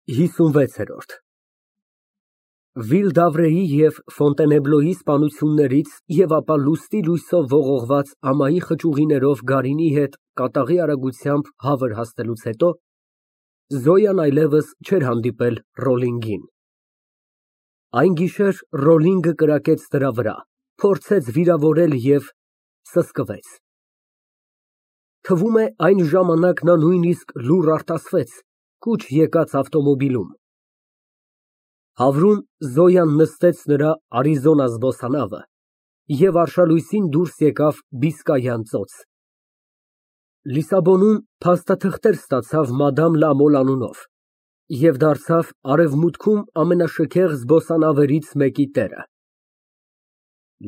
56։ Վիլդավրեի և Ֆոնտենեբլոյի սպանություններից և ապա լուսնի լույսով ողողված ամայի խճուղիներով Գարինի հետ կատաղի արագությամբ հավր հասնելուց հետո Զոյան այլևս չէր հանդիպել Ռոլլինգին։ Այն գիշեր Ռոլլինգը կրակեց նրա վրա, փորձեց վիրավորել և սսկվեց։ Թվում է, այն ժամանակ նա նույնիսկ լուռ արտասվեց, կուչ եկած ավտոմոբիլում։ Հավրում Զոյան նստեց նրա Արիզոնա զբոսանավը և արշալույսին դուրս եկավ Բիսկայան ծոց։ Լիսաբոնում փաստաթղթեր ստացավ մադամ Լամոլ անունով և դարձավ Արևմուտքում ամենաշքեղ զբոսանավերից մեկի տերը։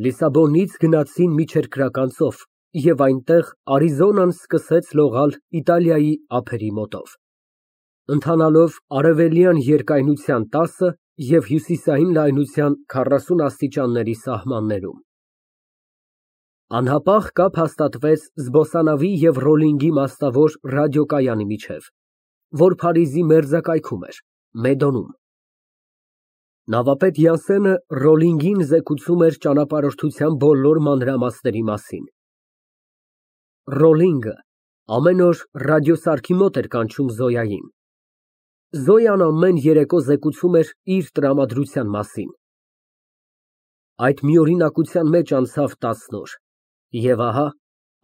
Լիսաբոնից գնացին միջերկրական ծով և այնտեղ Արիզոնան սկսեց լողալ Իտալիայի ափերի մոտով, ընթանալով արևելյան երկայնության 10 և հյուսիսային լայնության 40 աստիճանների սահմաններում։ Անհապաղ կապ հաստատվեց զբոսանավի և Ռոլլինգի մասնավոր ռադիոկայանի միջև, որ Փարիզի մերձակայքում էր, Մեդոնում։ Նավապետ Յանսենը Ռոլլինգին զեկուցում էր ճանապարհորդության բոլոր մանրամասների մասին։ Ռոլլինգը ամեն օր ռադիոսարքի մոտ էր կանչում Զոյային։ Զոյան ամեն երեկո զեկուցում էր իր տրամադրության մասին։ Այդ միօրինակության մեջ անցավ 10 օր, և ահա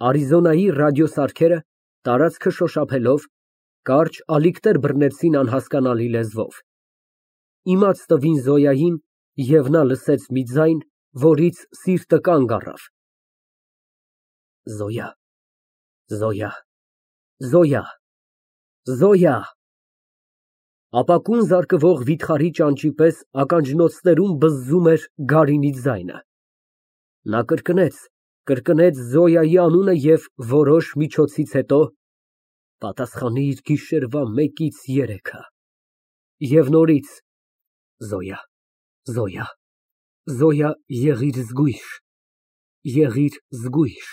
Արիզոնայի ռադիոսարքերը, տարածքը շոշափելով, կարճ ալիքներ բռնեցին անհասկանալի լեզվով։ Իմաց տվին Զոյային, և նա լսեց մի ձայն, որից սիրտը կանգ առավ. Զոյա, Զոյա, Զոյա, Զոյա… Ապակուն զարկվող վիթխարի ճանճի պես ականջնոցներում բզզում էր Գարինի ձայնը։ Նա կրկնեց Զոյայի անունը և որոշ միջոցից հետո պատասխանիր գիշերվա 1-ից 3-ը… Եվ նորից Զոյա, Զոյա, Զոյա, եղիր զգույշ, եղիր զգույշ…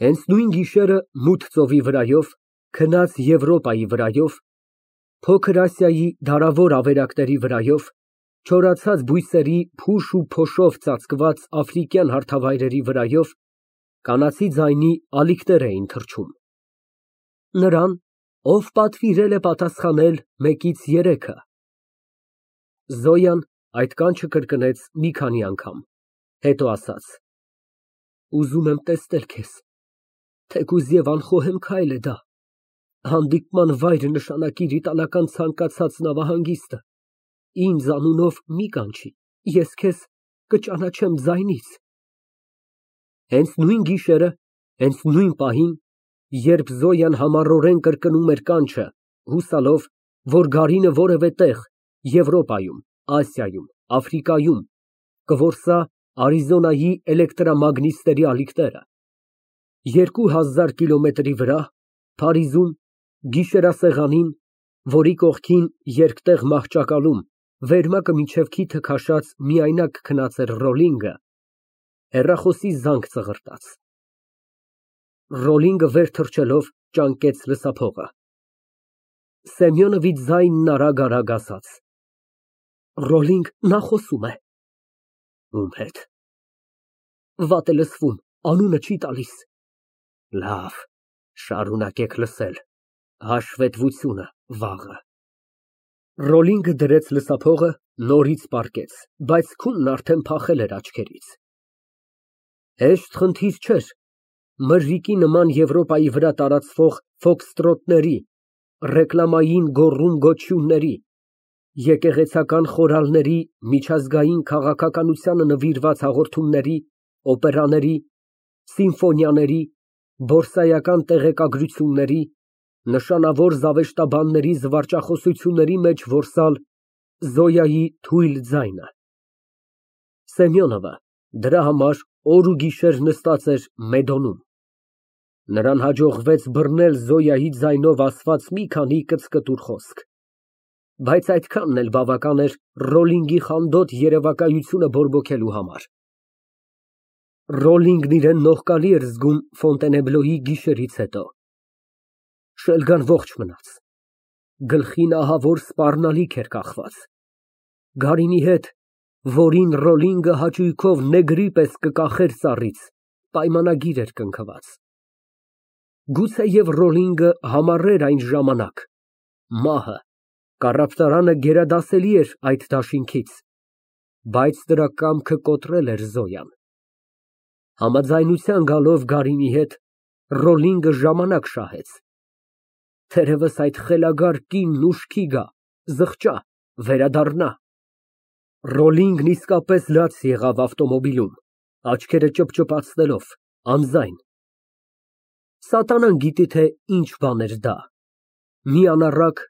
Հենց նույն գիշերը մութ ծովի վրայով, քնած Եվրոպայի վրայով, Փոքր Ասիայի դարավոր ավերակների վրայով, չորացած բույսերի փուշ ու փոշով ծածկված աֆրիկյան հարթավայրերի վրայով կանացի ձայնի ալիքներ էին թռչում։ Նրան, ով պատվիրել է պատասխանել 1-ից 3-ը… Զոյան այդ կանչը կրկնեց մի քանի անգամ, հետո ասաց. Ուզում եմ տեսնել քեզ, թեկուզ և անխոհեմ քայլ է դա, հանդիպման վայր նշանակիր իտալական ցանկացած նավահանգիստը, ինձ անունով մի կանչի, ես քեզ կճանաչեմ ձայնից… Հենց նույն գիշերը, հենց նույն պահին, երբ Զոյան համառորեն կրկնում էր կանչը, հուսալով, որ Գարինը որևէ տեղ, Եվրոպայում, Ասիայում, Աֆրիկայում, կորսա Արիզոնայի էլեկտրամագնիսների ալիքները, 2000 կիլոմետրի վրա, Փարիզում, գիշերասեղանին, որի կողքին երկտեղ մահճակալում, վերմակը մինչև քիթը քաշած միայնակ քնած էր Ռոլլինգը, հեռախոսի զանգ ծղրտաց։ Ռոլլինգը վեր թռչելով ճանկեց լսափողը։ Սեմյոնովի ձայնն արագ ասաց. Ռոլլինգ, նա խոսում է։ Ում հետ։ Վատ է լսվում, անունը չի տալիս։ Լավ, շարունակեք լսել, հաշվետվությունը վաղը… Ռոլլինգը դրեց լսափողը, նորից պառկեց, բայց քունն արդեն փախել էր աչքերից։ Հեշտ խնդիր չէր, մրրիկի նման Եվրոպայի վրա տարածվող ֆոքստրոտների, ռեկլամային գոռում֊գոչյունների, եկեղեցական խորալների, միջազգային քաղաքականությանը նվիրված հաղորդումների, օպերաների, սիմֆոնիաների, բորսայական տեղեկագրությունների, նշանավոր զավեշտաբանների զվարճախոսությունների մեջ որսալ Զոյայի թույլ ձայնը։ Սեմյոնովը դրա համար օր ու գիշեր նստած էր Մեդոնում։ Նրան հաջողվեց բռնել Զոյայի ձայնով ասված մի քանի կծկտուր խոսք, բայց այդքանն էլ բավական էր Ռոլլինգի խանդոտ երևակայությունը բորբոքելու համար։ Ռոլլինգն իրան նողկալի էր զգում Ֆոնտենեբլոյի գիշերից հետո։ Շելգան ողջ մնաց։ Գլխին ահավոր սպառնալիք էր կախված։ Գարինի հետ, որին Ռոլինգը հաճույքով նեգրի պես կկախեր ծառից, պայմանագիր էր կնքված։ Գուցեև Ռոլինգը համառեր այն ժամանակ, մահը, կառավտարանը գերադասելի էր այդ դաշինքից, բայց դրա կամքը կոտրել էր Զոյան։ Համաձայնության գալով Գարինի հետ, Ռոլինգը ժամանակ շահեց։ Թերևս այդ խելագար կինն ուշքի գա, զղջա, վերադառնա։ Ռոլինգն իսկապես լաց եղավ ավտոմոբիլում, աչքերը ճպճպացնելով, անձայն։ Սատանան գիտի, թե ինչ բան էր դա, մի անառակ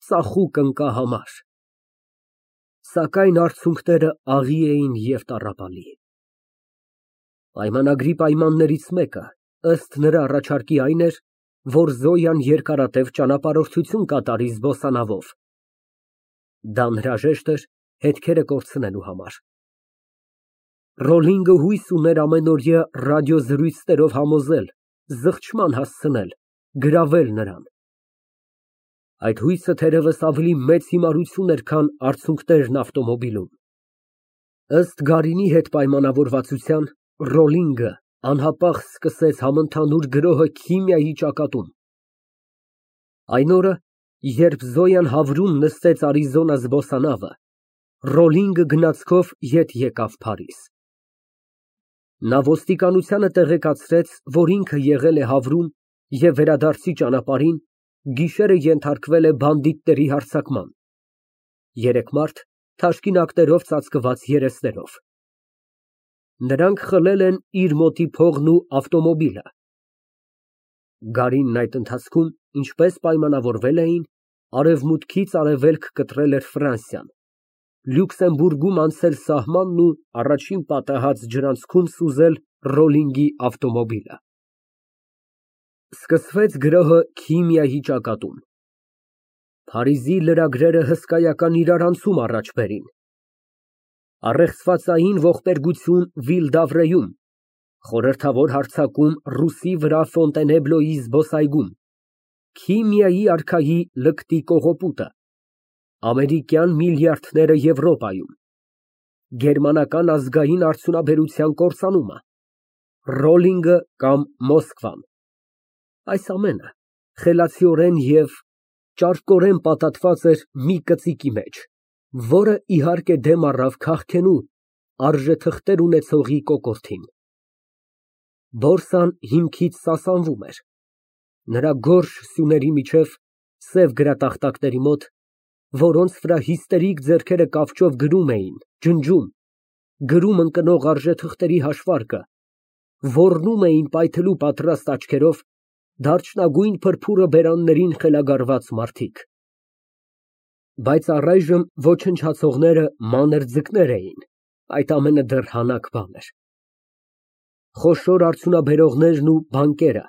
ծախուկ ընկահամար։ Սակայն արդյունքները աղի էին և տառապալի։ Պայմանագրի պայմաններից մեկը, ըստ նրա առաջարկի, այն էր, որ Զոյան երկարատև ճանապարհորդություն կատարի զբոսանավով։ Դա անհրաժեշտ էր հետքերը կորցնելու համար։ Ռոլինգը հույս ուներ ամենօրյա ռադիոզրույցներով համոզել, զղջման հասցնել, գրավել նրան։ Այդ հույսը թերևս ավելի մեծ հիմարություն էր, քան արդյունքներն ավտոմոբիլում։ Ըստ Գարինի հետ պայմանավորվածության, Ռոլինգը անհապաղ սկսեց համընդհանուր գրոհը քիմիայի ճակատում։ Այն օրը, երբ Զոյան Հավրում նստեց Արիզոնա զբոսանավը, Ռոլինգը գնացքով ետ եկավ Փարիզ։ Նա ոստիկանությանը տեղեկացրեց, որ ինքը եղել է Հավրում և վերադարձի ճանապարհին գիշերը ենթարկվել է բանդիտների հարձակման։ Երեք մարդ թաշկինակներով ծածկված երեսներով։ Նրանք խլել են իր մոտի փողն ու ավտոմոբիլը։ Գարինն այդ ընթացքում, ինչպես պայմանավորվել էին, արևմուտքից արևելք կտրել էր Ֆրանսիան, Լյուքսեմբուրգում անցել սահմանն ու առաջին պատահած ջրանցքում սուզել Ռոլինգի ավտոմոբիլը։ Սկսվեց գրոհը քիմիայի ճակատում։ Փարիզի լրագրերը հսկայական իրարանցում առաջ բերին։ Առեղծվածային ողբերգություն Վիլ֊դ'Ավրեում, խորհրդավոր հարձակում Ռուսի վրա Ֆոնտենեբլոյի զբոսայգում, քիմիայի արքայի լկտի կողոպուտը, ամերիկյան միլիարդները Եվրոպայում, գերմանական ազգային արդյունաբերության կործանումը, Ռոլինգը կամ Մոսկվան։ Այս ամենը խելացիորեն և ճարպկորեն պատատված էր մի կծիկի մեջ, որը, իհարկե, դեմ առավ քաղքենու արժեթղթեր ունեցողի կոկորդին։ Բորսան հիմքից սասանվում էր։ Նրա գորշ սյուների միջև, սև գրատախտակների մոտ, որոնց վրա հիստերիկ ձեռքերը կավճով գրում էին, ջնջում, գրում ընկնող արժեթղթերի հաշվարկը, ոռնում էին պայթելու պատրաստ աչքերով դարչնագույն պրփուրը բերաններին խելագարված մարդիկ։ Բայց առայժմ ոչնչացողները մանր ձկներ էին, այդ ամենը դեռ հանակ բան էր։ Խոշոր արդյունաբերողներն ու բանկերը,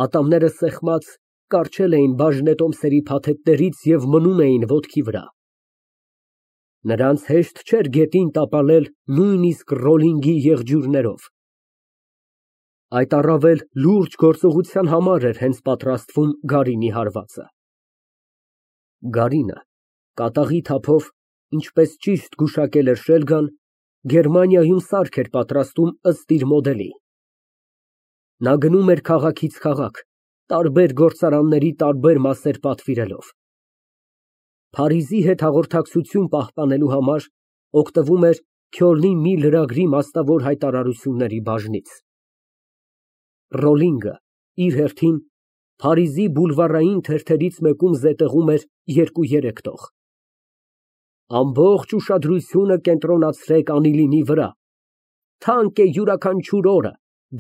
ատամները սեղմած, կառչել էին բաժնետոմսերի փաթեթներից և մնում էին ոտքի վրա։ Նրանց հեշտ չէր գետին տապալել նույնիսկ Ռոլինգի եղջյուրներով։ Այդ առավել լուրջ գործողության համար էր հենց պատրաստվում Գարինի հարվածը։ Գարինը, կատաղի թափով, ինչպես ճիշտ գուշակել էր Շելգան, Գերմանիայում սարք էր պատրաստում ըստ իր մոդելի։ Նա գնում էր քաղաքից քաղաք, տարբեր գործարանների տարբեր մասեր պատվիրելով։ Փարիզի հետ հաղորդակցություն պահպանելու համար օգտվում էր Քյոլնի մի լրագրի մասնավոր հայտարարությունների բաժնից։ Ռոլինգը, իր հերթին, Փարիզի բուլվարային թերթերից մեկում զետեղում էր 2-3 տող։ Ամբողջ ուշադրությունը կենտրոնացրեք Անիլինի վրա։ Թանկ է յուրաքանչյուր օրը,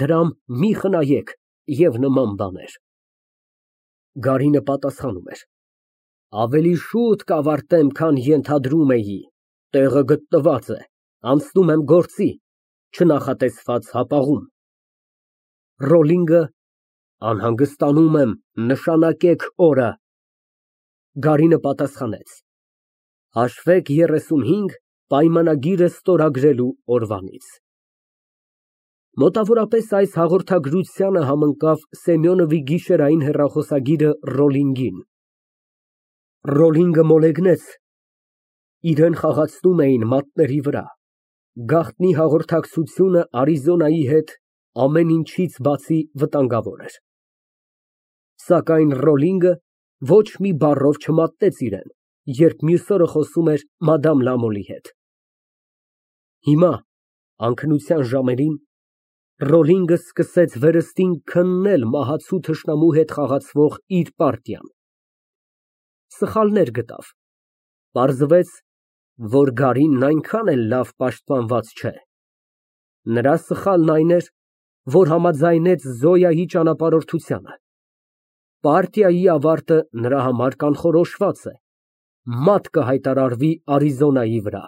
դրամ մի խնայեք և նման բաներ։ Գարինը պատասխանում էր. Ավելի շուտ կավարտեմ, քան ենթադրում էի, տեղը գտնված է, անցնում եմ գործի, չնախատեսված հապաղում։ Ռոլինգը. Անհանգստանում եմ, նշանակեք օրը։ Գարինը պատասխանեց. Հաշվեք 35, պայմանագիրը ստորագրելու օրվանից։ Մոտավորապես այս հաղորդագրությանը համընկավ Սեմյոնովի գիշերային հեռախոսագիրը Ռոլինգին։ Ռոլինգը մոլեգնեց, իրեն խաղացնում էին մատների վրա, գաղտնի հաղորդակցությունը Արիզոնայի հետ ամեն ինչից բացի վտանգավոր էր։ Սակայն Ռոլինգը ոչ մի բառով չմատնեց իրեն, երբ մյուս օրը խոսում էր մադամ Լամոլի հետ։ Հիմա, անքնության ժամերին, Ռոլինգը սկսեց վերստին քննել մահացու թշնամու հետ խաղացվող իր պարտիան։ Սխալներ գտավ, պարզվեց, որ Գարինն այնքան էլ լավ պաշտպանված չէ։ Նրա սխալն այն էր, որ համաձայնեց Զոյայի ճանապարհորդությանը։ Պարտիայի ավարտը նրա համար կանխորոշված է, մատ կհայտարարվի Արիզոնայի վրա։